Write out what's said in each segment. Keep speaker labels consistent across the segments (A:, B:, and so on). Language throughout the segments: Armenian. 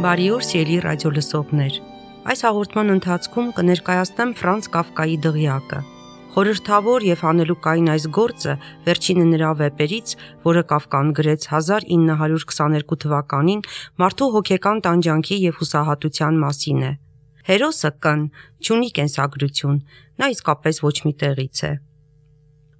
A: Բարի օր, սիրելի ռադիոլսողներ։ Այս հաղորդման ընթացքում կներկայացնեմ Ֆրանց Կաֆկայի «Դղյակը»։ Խորհրդավոր եւ հանելուկային այս գործը վերջինը նրա վեպերից, որը Կաֆկան գրեց 1922 թվականին, մարդու հոգեկան տանջանքի եւ հուսահատության մասին է։ Հերոսը կն չունի կենսագրություն, նա իսկապես ոչ մի տեղից է։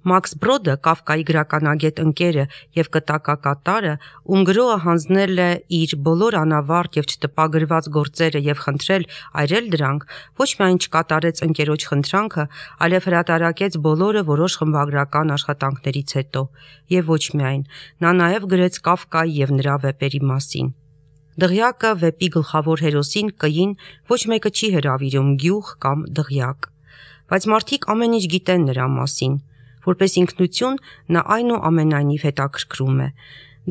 A: Մաքս Բրոդը, Կաֆկայի գրականագետ ընկերը եւ կտակակատարը, ում գրողը հանձնել է իր բոլոր անավարտ եւ չտպագրված գործերը եւ խնդրել այրել դրանք, ոչ միայն չկատարեց ընկերոջ խնդրանքը, այլև հրատարակեց բոլորը որոշ խմբագրական աշխատանքներից հետո, եւ ոչ միայն, նա նաեւ գրեց Կաֆկայի եւ նրա վեպերի մասին։ Դղյակը վեպի գլխավոր հերոսին կին ոչ մեկը չի հրավիրում գյուղ կամ դղյակ, բայց մարդիկ ամեն ինչ գիտեն նրա մասին։ Որպես ինքնություն նա այնուամենայնիվ հետաքրքրում է։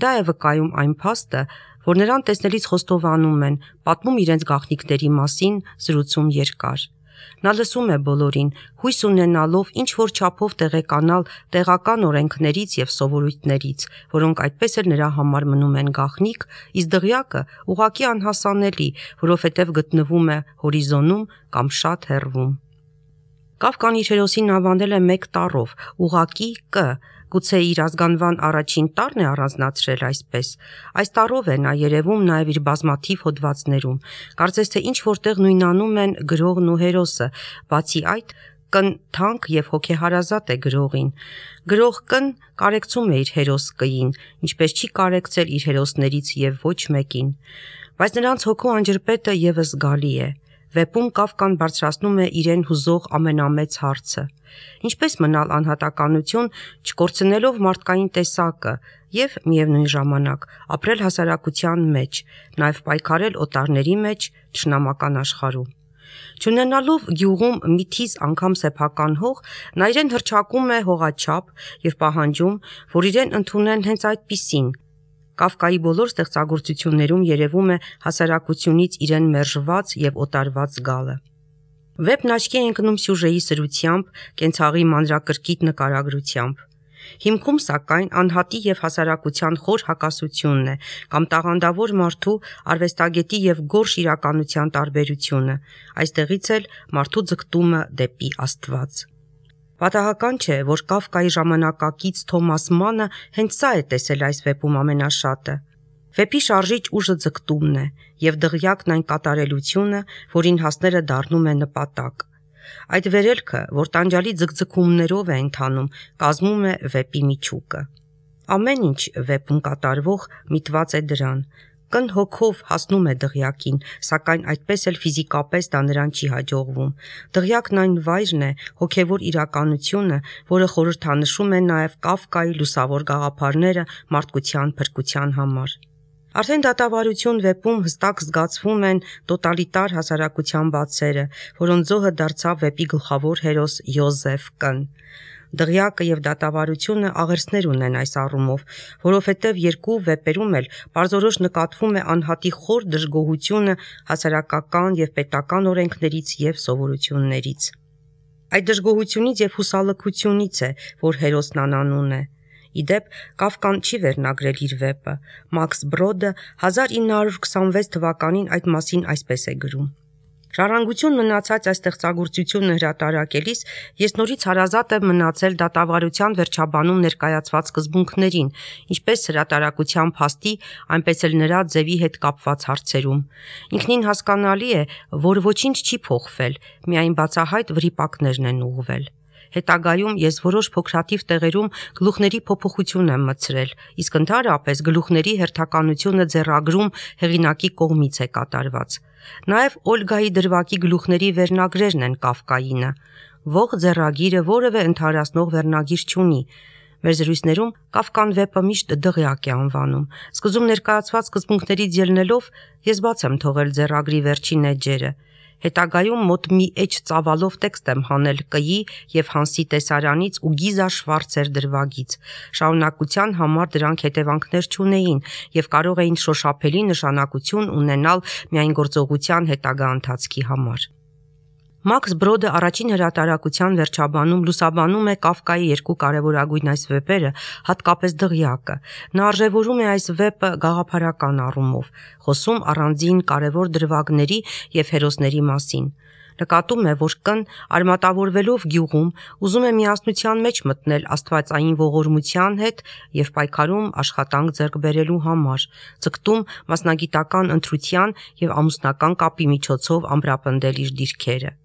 A: Դա է վկայում այն փաստը, որ նրան տեսնելիս խոստովանում են, պատմում իրենց գաղտնիքների մասին, զրուցում երկար։ Նա լսում է բոլորին, հույս ունենալով ինչ-որ չափով տեղեկանալ տեղական օրենքներից եւ սովորույթներից, որոնք այդպես էլ նրա համար մնում են գաղտնիք, իսկ դղյակը ուղղակի անհասանելի, որովհետեւ գտնվում է հորիզոնում կամ շատ հեռվում։ Կաֆկան իր հերոսին անվանել է մեկ տառով, ուղղակի Կ, գուցե իր ազգանվան առաջին տառն է առանձնացրել այսպես։ Այս տառով է նա երևում նաև իր բազմաթիվ հոդվածներում։ Կարծես թե ինչ որտեղ նույնանում են գրողն ու հերոսը, բացի այդ, կն թանկ եւ հոգեհարազատ է գրողին։ Գրող կն կարեկցում է իր հերոս Կ-ին, ինչպես չի կարեկցել իր հերոսներից եւ ոչ մեկին։ Բայց նրանց հոգու անջրպետը եւս զգալի է։ Վեպում Կաֆկան բարձրացնում է իրեն հուզող ամենամեծ հարցը. ինչպես մնալ անհատականություն, չկորցնելով մարդկային տեսակը եւ միևնույն ժամանակ ապրել հասարակության մեջ, նաեւ պայքարել օտարների մեջ թշնամական աշխարհում։ Չունենալով գյուղում մի թիզ անգամ սեփական հող, նա իրեն հռչակում է հողաչափ եւ պահանջում, որ իրեն ընդունեն հենց այդպիսին։ Կաֆկայի բոլոր ստեղծագործություններում երևում է հասարակությունից իրեն մերժված եւ օտարված զգալը։ Վեպն աչքի է ընկնում սյուժեի սրությամբ, կենցաղի մանրակրկիտ նկարագրությամբ։ Հիմքում, սակայն, անհատի եւ հասարակության խոր հակասությունն է, կամ տաղանդավոր մարդու, արվեստագետի եւ գորշ իրականության տարբերությունը, այստեղից էլ մարդու ձգտումը դեպի Աստված։ Պատահական չէ, որ Կաֆկայի ժամանակակից Թոմաս Մանը հենց սա է տեսել այս վեպում ամենաշատը։ Վեպի շարժիչ ուժը ձգտումն է, եւ դղյակն այն կատարելությունը, որին հասները դառնում է նպատակ։ Այդ վերելքը, որ տանջալի ձգձգումներով է ընթանում, կազմում է վեպի միջուկը։ Ամեն ինչ վեպում կատարվող միտված է դրան։ Կն հոգով հասնում է դղյակին, սակայն այդպես էլ ֆիզիկապես դա նրան չի հաջողվում։ Դղյակն այն վայրն է, հոգևոր իրականությունը, որը խորհրդանշում է նաև Կաֆկայի լուսավոր գաղափարները մարդկության փրկության համար։ Արդեն դատավարություն վեպում հստակ զգացվում են տոտալիտար հասարակության բացերը, որոնց զոհը դարձավ վեպի գլխավոր հերոս Յոզեֆ Կն։ Դղյակը եւ դատավարությունը աղերսներ ունեն այս առումով, որովհետեւ երկու վեպերում էլ պարզորոշ նկատվում է անհատի խոր դժգոհությունը հասարակական եւ պետական օրենքներից եւ սովորություններից։ Այդ դժգոհությունից եւ հուսալքությունից է, որ հերոսն անանուն է։ Իդեպ Կաֆկան չի վերնագրել իր վեպը։ Մաքս Բրոդը 1926 թվականին այդ մասին այսպես է գրում. Ժառանգություն մնացած այս ստեղծագործությունը հրատարակելիս ես նորից հարազատ եմ մնացել դատավարության վերջաբանում ներկայացված սկզբունքներին, ինչպես հրատարակության փաստի, այնպես էլ նրա ձևի հետ կապված հարցերում։ Ինքնին հասկանալի է, որ ոչինչ չի փոխվել, միայն բացահայտ վրիպակներն են ուղղվել։ Հետագայում ես որոշ փոքրաթիվ տեղերում գլուխների փոփոխություն եմ մտցրել, իսկ ընդհանրապես գլուխների հերթականությունը ձեռագրում հեղինակի կողմից է կատարված։ Նաև Օլգայի դրվագի գլուխների վերնագրերն են Կաֆկայինը։ Ող ձեռագիրը որևէ ընդհանրացնող վերնագիր չունի։ Մեր զրույցներում Կաֆկան վեպը միշտ դղյակ է անվանում։ Սկզբում ներկայացված սկզբունքներից ելնելով ես բաց եմ թողել ձեռագրի վերջին էջերը։ Հետագայում մոտ մի էջ ծավալով տեքստ եմ հանել Կ-ի եւ Հանսի տեսարանից ու Գիզա Շվարցեր դրվագից։ Շարունակության համար դրանք հետևանքներ չունեին եւ կարող էին շոշափելի նշանակություն ունենալ միայն գործողության հետագա ընթացքի համար։ Մաքս Բրոդը առաջին հրատարակության վերջաբանում լուսաբանում է Կաֆկայի երկու կարևորագույն այս վեպերը, հատկապես Դղյակը։ Նա արժևորում է այս վեպը գաղափարական առումով, խոսում առանձին կարևոր դրվագների եւ հերոսների մասին։ Նկատում է, որ կն արմատավորվելով գյուղում ուզում է միասնության մեջ մտնել աստվածային ողորմության հետ եւ պայքարում աշխատանք ձեռք բերելու համար, ցկտում մասնագիտական ընտրության եւ ամուսնական կապի միջոցով ամրապնդել իր դիրքերը։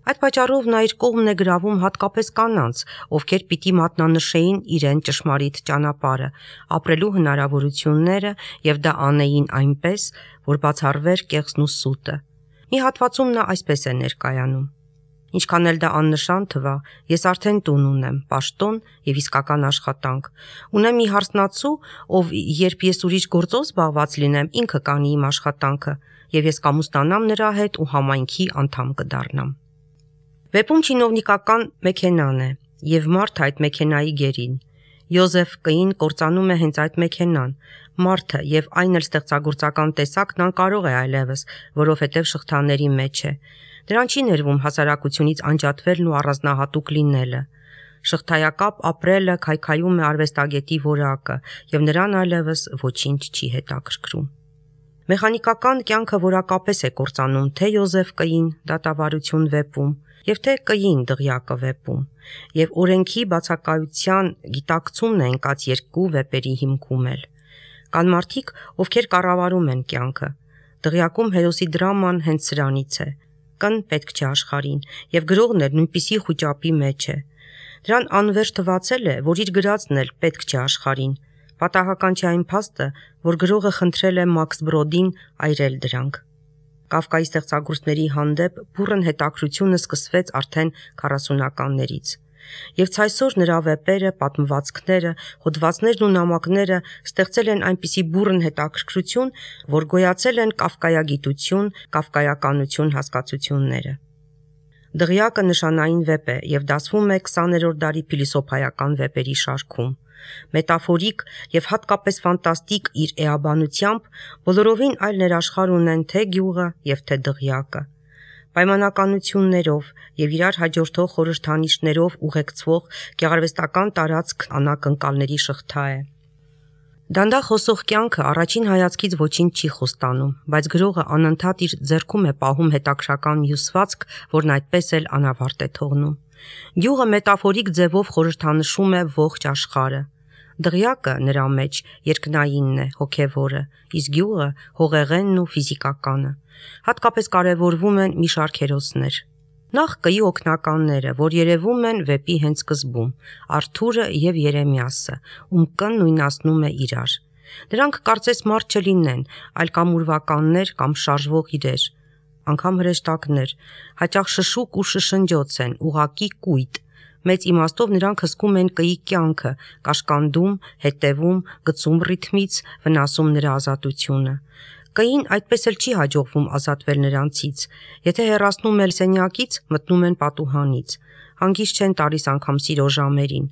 A: Այդ պատճառով նա իր կողմն է գրավում հատկապես կանանց, ովքեր պիտի մատնանշեին իրեն ճշմարիտ ճանապարհը, ապրելու հնարավորությունները եւ դա անեին այնպես, որ բացառվեր կեղծն ու սուտը։ Մի հատվածում նա այսպես է ներկայանում. Ինչքան էլ դա աննշան թվա, ես արդեն տուն ունեմ, պաշտոն եւ իսկական աշխատանք։ Ունեմ մի հարսնացու, ով երբ ես ուրիշ գործով զբաղված լինեմ, ինքը կանի իմ աշխատանքը, եւ ես կամուսնանամ նրա հետ ու համայնքի անդամ կդառնամ։ Վեպում չինովնիկական մեքենան է եւ մարդը այդ մեքենայի գերին։ Յոզեֆ Կին կործանում է հենց այդ մեքենան։ Մարդը եւ այն էլ ստեղծագործական տեսակն անկարող է այլևս, որովհետեւ շղթաների մեջ է։ Դրան չի ներվում հասարակությունից անջատվելն ու առանձնահատուկ լինելը։ Շղթայակապ ապրելը քայքայում է արվեստագետի որակը եւ նրան այլևս ոչինչ չի հետաքրքրում։ Մեխանիկական կյանքը որակապես է կործանում թե Յոզեֆ Կին դատավարություն վեպում եւ թե Կին Դղյակը վեպում, եւ օրենքի բացակայության գիտակցումն է ընկած երկու վեպերի հիմքում էլ։ Կան մարդիկ, ովքեր կառավարում են կյանքը։ Դղյակում հերոսի դրաման հենց սրանից է։ Կն պետք չէ աշխարհին, եւ գրողն էլ նույնպիսի խոճապի մեջ է։ Դրան անվերջ թվացել է, որ իր գրածն էլ պետք չէ աշխարհին։ Պատահական չէ այն փաստը, որ գրողը խնդրել է Մաքս Բրոդին այրել դրանք։ Կաֆկայի ստեղծագործների հանդեպ բուռն հետաքրությունը սկսվեց արդեն 40-ականներից։ Եվ ցայսօր նրա վեպերը, պատմվածքները, հոդվածներն ու նամակները ստեղծել են այնպիսի բուռն հետաքրքրություն, որ գոյացել են կաֆկայագիտություն, կաֆկայականություն հասկացությունները։ Դղյակը նշանային վեպ է եւ դասվում է 20-րդ դարի փիլիսոփայական վեպերի շարքում։ Մետաֆորիկ եւ հատկապես ֆանտաստիկ իր էաբանությամբ բոլորովին այլ ներաշխար ունեն թե գյուղը եւ թե Դղյակը։ Պայմանականություններով եւ իրար հաջորդող խորհրդանիշներով ուղեկցվող գեղարվեստական տարածք անակնկալների շղթա է։ Դանդաղ խոսող կյանքը առաջին հայացքից ոչինչ չի խոստանում, բայց գրողը անընդհատ իր ձեռքում է պահում հետաքրական հյուսվածք, որն այդպես էլ անավարտ է թողնում։ Գյուղը մետաֆորիկ ձևով խորհրդանշում է ողջ աշխարհը։ Դղյակը նրա մեջ երկնայինն է, հոգևորը, իսկ գյուղը հողեղենն ու ֆիզիկականը։ Հատկապես կարևորվում են մի շարք հերոսներ։ Նախ Կի օգնականները, որ երևում են վեպի հենց սկզբում, Արթուրը եւ Երեմիասը, ում կն նույնացնում է իրար։ Դրանք կարծես մարդ չլինեն, այլ կամ ուրվականներ կամ շարժվող իրեր, անգամ հրեշտակներ, հաճախ շշուկ ու շշնջոց են, ուղակի կույտ։ Մեծ իմաստով նրանք հսկում են Կիի կյանքը, կաշկանդում, հետևում, գցում ռիթմից, վնասում նրա ազատությունը։ Կին այդպես էլ չի հաջողվում ազատվել նրանցից։ Եթե հեռացնում էլ սենյակից, մտնում են պատուհանից։ Հանգիստ չեն տալիս անգամ սիրո ժամերին։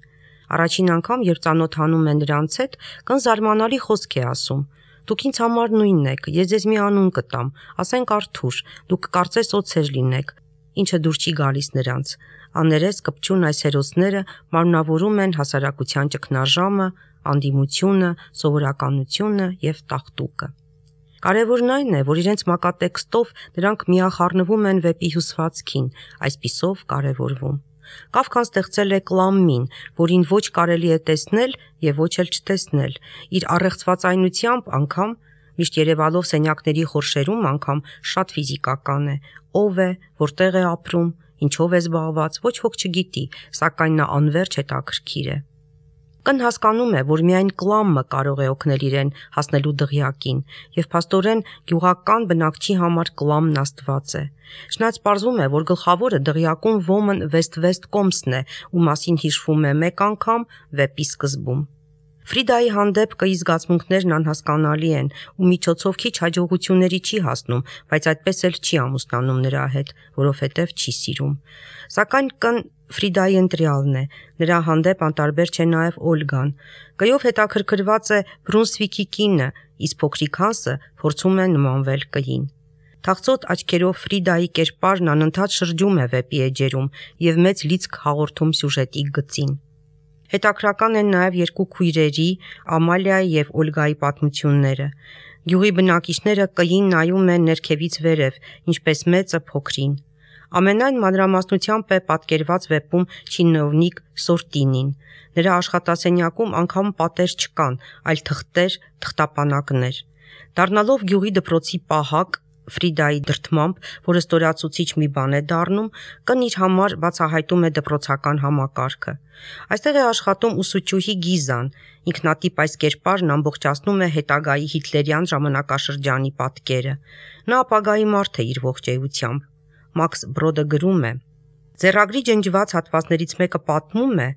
A: Առաջին անգամ, երբ ծանոթանում են նրանց հետ, կն զարմանալի խոսք է ասում. Դուք ինձ համար նույնն եք, ես ձեզ մի անուն կտամ, ասենք Արթուր, դուք կարծես օձեր լինեք, ինչը դուր չի գալիս նրանց։ Աներես կպչուն այս հերոսները մարմնավորում են հասարակության ճգնաժամը, անդիմությունը, սովորականությունը եւ տաղտուկը։ Կարևորն այն է, որ իրենց մակատեքստով նրանք միախառնվում են վեպի հյուսվածքին, այսպիսով կարևորվում։ Կաֆկան ստեղծել է կլամմին, որին ոչ կարելի է տեսնել եւ ոչ էլ չտեսնել, իր առեղծվածայնությամբ անգամ, միշտ երևալով սենյակների խորշերում անգամ շատ ֆիզիկական է, ով է, որտեղ է ապրում, ինչով է զբաղված, ոչ ոք չգիտի, սակայն նա անverջ հետաքրքիր է։ Կն հասկանում է, որ միայն կլամը կարող է օգնել իրեն հասնելու Դղյակին, եւ փաստորեն գյուղական բնակչի համար կլամն աստված է։ Շնայց պարզվում է, որ գլխավորը Դղյակում ոմն Վեստ կոմսն է, ու մասին հիշվում է մեկ անգամ վեպի սկզբում։ Ֆրիդայի հանդեպ Կիի զգացմունքներն անհասկանալի են ու միջոցով քիչ հաջողությունների չի հասնում, բայց այդպես էլ չի ամուսնանում նրա հետ, որովհետև չի սիրում։ Սակայն կն Ֆրիդայի ընտրյալն է, նրա հանդեպ անտարբեր չէ նաև Օլգան։ Կիով հետաքրքրված է Բրունսվիկի կինը, իսկ փոքրիկ Հանսը փորձում է նմանվել Կիին։ Թախծոտ աչքերով Ֆրիդայի կերպարն անընդհատ շրջում է վեպի էջերում եւ մեծ լիցք հաղորդում սյուժետի գծին։ Հետաքրական են նաև երկու քույրերի՝ Ամալիայի եւ Օլգայի պատմությունները։ Գյուղի բնակիչները կին նայում են ներքևից վերև, ինչպես մեծը փոքրին։ Ամենայն մանրամասնությամբ է պատկերված վեպում չինովնիկ Սորտինին։ Նրա աշխատասենյակում անգամ պատեր չկան, այլ թղթեր, թղթապանակներ։ Դառնալով գյուղի դպրոցի պահակ, Ֆրիդայի դրդմամբ, որը ստորացուցիչ մի բան է դառնում, կն իր համար բացահայտում է դպրոցական համակարգը։ Այստեղ է աշխատում ուսուցչուհի Գիզան, ինքնատիպ այս կերպարն ամբողջացնում է հետագայի հիտլերյան ժամանակաշրջանի պատկերը։ Նա ապագայի մարդ է իր ողջ էությամբ։ Մաքս Բրոդը գրում է. Ձեռագրի ջնջված հատվածներից մեկը պատմում է,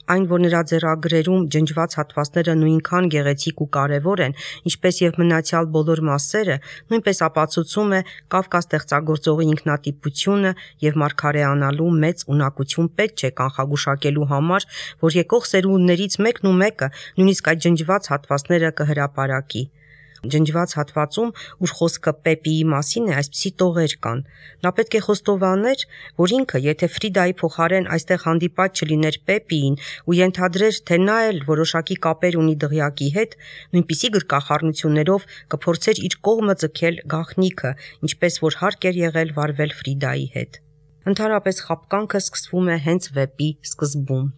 A: այն, որ նրա ձեռագրերում ջնջված հատվածները նույնքան գեղեցիկ ու կարևոր են, ինչպես եւ մնացյալ բոլոր մասերը, նույնպես ապացուցում է Կավկա ստեղծագործողի ինքնատիպությունը եւ մարգարեանալու մեծ ունակություն պետք չէ կանխագուշակելու համար, որ եկող սերունդներից մեկն ու մեկը նույնիսկ այդ ջնջված հատվածները կհրապարակի։ Ջնջված հատվածում, ուր խոսքը Պեպիի մասին է, այսպիսի տողեր կան։ Նա պետք է խոստովաներ, որ ինքը, եթե Ֆրիդայի փոխարեն այստեղ հանդիպած չլիներ Պեպիին ու ենթադրեր, թե նա էլ որոշակի կապեր ունի դղյակի հետ, նույնպիսի գրկախառնություններով կփորձեր իր կողմը ձգել գաղտնիքը, ինչպես որ հարկ էր եղել վարվել Ֆրիդայի հետ։ Ընդհանրապես խապկանքը սկսվում է հենց վեպի սկզբում։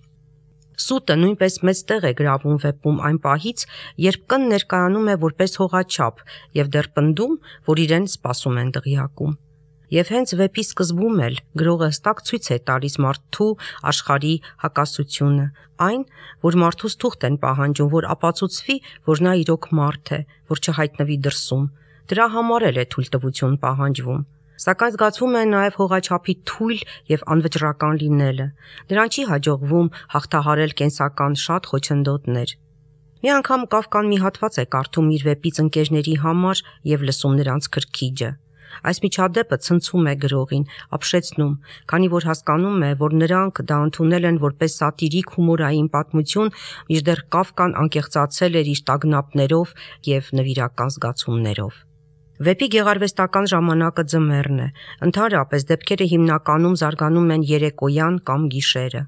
A: Սուտը նույնպես մեծ տեղ է գրավում վեպում այն պահից, երբ կն ներկայանում է որպես հողաչափ եւ դեռ պնդում, որ իրեն սպասում են դղյակում։ Եվ հենց վեպի սկզբում էլ գրողը հստակ ցույց է տալիս մարդու աշխարհի հակասությունը, այն, որ մարդուց թուղթ են պահանջում, որ ապացուցվի, որ նա իրոք մարդ է, որ չհայտնվի դրսում։ Դրա համար էլ է թույլտվություն պահանջվում։ Սակայն զգացվում է նաև հողաչափի թույլ եւ անվճռական լինելը։ Նրան չի հաջողվում հաղթահարել կենսական շատ խոչընդոտներ։ Մի անգամ Կավկան մի հատված է կարդում իր վեպից ընկերների համար եւ լսում նրանց քրքիջը։ Այս միջադեպը ցնցում է գրողին, ապշեցնում, քանի որ հասկանում է, որ նրանք դա ընդունել են որպես սատիրիկ հումորային պատմություն, մինչդեռ Կավկան անկեղծացել էր իր տագնապներով եւ նվիրական զգացումներով։ Վեպի գեղարվեստական ժամանակը ձմեռն է, ընդհանրապես դեպքերը հիմնականում զարգանում են երեկոյան կամ գիշերը։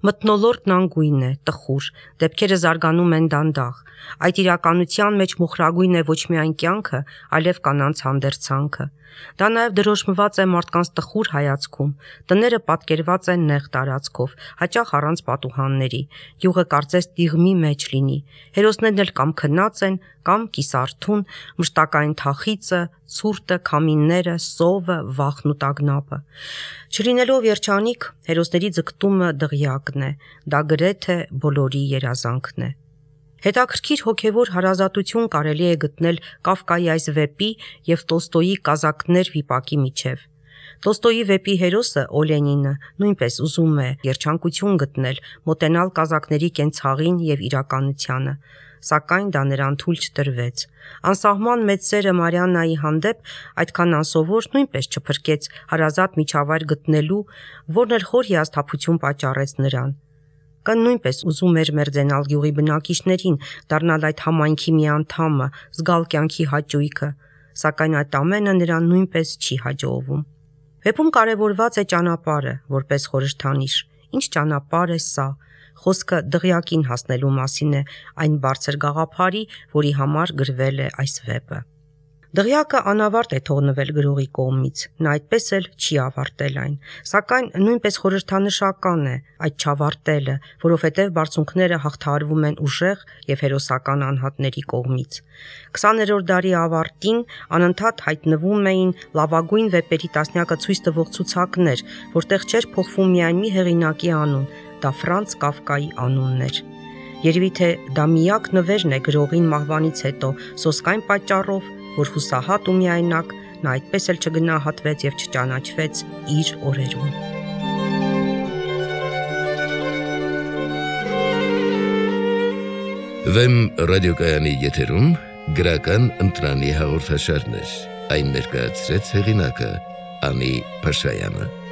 A: Մթնոլորտն անգույն է, տխուր, դեպքերը զարգանում են դանդաղ։ Այդ իրականության մեջ մոխրագույն է ոչ միայն կյանքը, այլև կանանց հանդերձանքը։ Դա նաև դրոշմված է մարդկանց տխուր հայացքում։ Տները պատկերված են նեղ տարածքով, հաճախ առանց պատուհանների։ Յուղը կարծես տիղմի մեջ լինի։ Հերոսներն էլ կամ քնած են, կամ կիսարթուն, մշտակային թախիծը, ցուրտը, քամինները, սովը, վախն ու տագնապը։ Չլինելով երջանիկ, հերոսների ձգտումը դղյակն է։ Դա գրեթե բոլորի երազանքն է։ Հետաքրքիր հոգևոր հարազատություն կարելի է գտնել Կավկայի այս վեպի եւ Տոլստոյի Կազակներ վիպակի միջև։ Տոլստոյի վեպի հերոսը Օլենինը նույնպես ուզում է երջանկություն գտնել, մոտենալ կազակների կենցաղին եւ իրականությանը, սակայն դա նրան թույլ չտրվեց։ Անսահման մեծ սերը Մարիաննայի հանդեպ այդքան անսովոր նույնպես չփրկեց հարազատ միջավայր գտնելու, որն էլ խոր հիասթափություն պատճառեց նրան։ Կն նույնպես ուզում էր մերձենալ գյուղի բնակիչներին, դառնալ այդ համայնքի մի անդամը, զգալ կյանքի հաճույքը, սակայն այդ ամենը նրան նույնպես չի հաջողվում։ Վեպում կարևորված է ճանապարհը, որպես խորհրդանիշ։ Ինչ ճանապարհ է սա։ Խոսքը դղյակին հասնելու մասին է, այն բարձր գաղափարի, որի համար գրվել է այս վեպը։ Դղյակը անավարտ է թողնվել գրողի կողմից, նա այդպես էլ չի ավարտել այն, սակայն նույնպես խորհրդանշական է այդ չավարտելը, որովհետև բարձունքները հաղթահարվում են ուժեղ եւ հերոսական անհատների կողմից։ 20-րդ դարի ավարտին անընդհատ հայտնվում էին լավագույն վեպերի տասնյակը ցույց տվող ցուցակներ, որտեղ չէր փոխվում միայն մի հեղինակի անուն, դա Ֆրանց Կավկայի անունն էր։ Երևի թե դա միակ նվերն է գրողին մահվանից հետո, սոսկ այն պատճառով, որ հուսահատ ու միայնակ նա այդպես էլ չգնահատվեց եւ չճանաչվեց իր օրերում։
B: Վեմ ռադիոկայանի եթերում գրական ընտրանի հաղորդաշարներ, այն ներկայացրեց հեղինակը Անի Փաշայանը։